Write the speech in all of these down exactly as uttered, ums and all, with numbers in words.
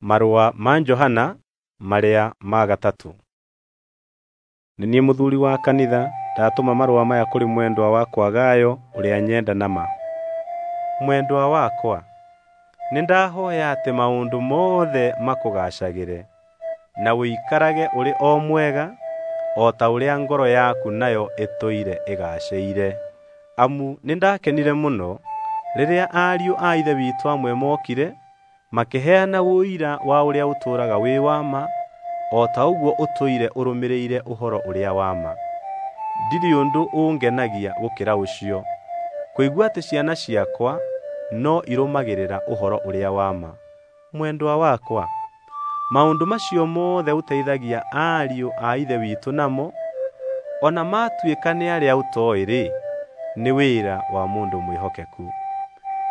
Marũa ma Johana marĩa ma gatatũ. Nĩ niĩ mũthuuri wa kanitha ndatũma marũa maya kũrĩ mwendwa wakwa Gayo ũrĩa nyenda na ma. Mwendwa wakwa, nĩndahooya atĩ maũndũ mothe makũgaacagĩre, na ũikarage ũrĩ o mwega, o ta ũrĩa ngoro yaku nayo ĩtũire ĩgaacĩire. Amu nĩndakenire mũno rĩrĩa ariũ a Ithe witũ amwe mookire makĩheana ũira wa ũrĩa ũtũũraga wĩ wa ma, o ta ũguo ũtũire ũrũmĩrĩire ũhoro ũrĩa wa ma. Ndirĩ ũndũ ũngenagia gũkĩra ũcio, kũigua atĩ ciana ciakwa no irũmagĩrĩra ũhoro ũrĩa wa ma. Mwendwa wakwa, maũndũ macio mothe ũteithagia ariũ a Ithe witũ namo, o na maatuĩka nĩ arĩa ũtooĩ-rĩ, nĩ wĩra wa mũndũ mwĩhokeku.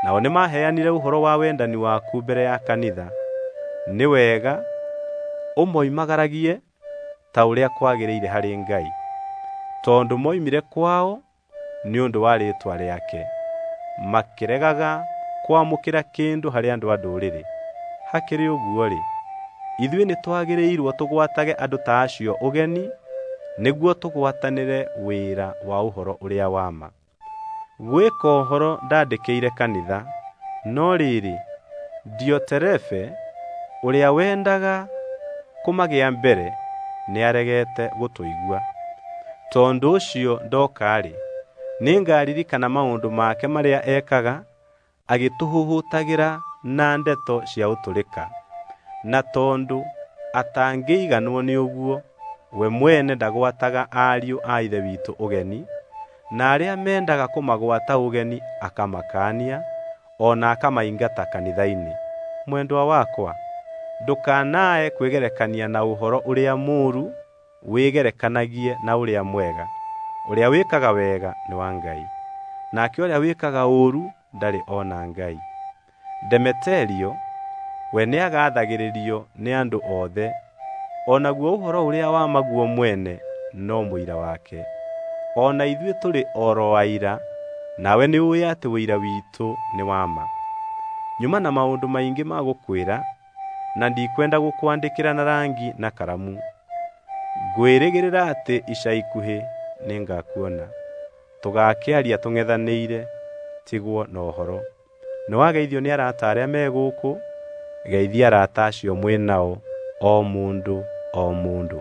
Nao nĩmaheanire ũhoro wa wendani waku mbere ya kanitha. Nĩ wega ũmoimagaragie ta ũrĩa kwagĩrĩire harĩ Ngai, tondũ moimire kwao nĩ ũndũ wa rĩĩtwa rĩake, makĩregaga kwamũkĩra kĩndũ harĩ andũ a Ndũrĩrĩ. Hakĩrĩ ũguo-rĩ, ithuĩ nĩtwagĩrĩirwo tũgwatage andũ ta acio ũgeni nĩguo tũgwatanĩre wĩra wa ũhoro ũrĩa wa ma. Gwĩka ũhoro ndandĩkĩire kanitha, no rĩrĩ, Dioterefe ũrĩa wendaga kũmagĩa mbere nĩaregete gũtũigua. Tondũ ũcio ndooka-rĩ, nĩngaririkana maũndũ make marĩa ekaga agĩtũhũhũtagĩra na ndeto cia ũtũrĩka. Na tondũ atangĩiganwo nĩ ũguo, we mwene ndagwataga ariũ a Ithe witũ ũgeni, na arĩa mendaga kũmagwata ũgeni akamakaania, o na akamaingata kanitha-inĩ. Mwendwa wakwa, ndũkanae kwĩgerekania na ũhoro ũrĩa mũũru, wĩgerekanagie na ũrĩa mwega. Ũrĩa wĩkaga wega nĩ wa Ngai, nake ũrĩa wĩkaga ũũru ndarĩ ona Ngai. Demeterio we nĩagathagĩrĩrio nĩ andũ othe, o naguo ũhoro ũrĩa wa ma guo mwene no mũira wake. O na ithuĩ tũrĩ o ro aira, nawe nĩũũĩ atĩ ũira witũ nĩ wa ma. Nyuma na maũndũ maingĩ ma gũkwĩra, na ndikwenda gũkwandĩkĩra na rangi na karamu. Ngwĩrĩgĩrĩra atĩ ica ikuhĩ nĩngakuona, tũgaakĩaria tũng'ethanĩire, tigwo na ũhoro. Nĩwageithio nĩ arata arĩa me gũkũ. Geithia arata acio mwĩ nao, o mũndũ o mũndũ.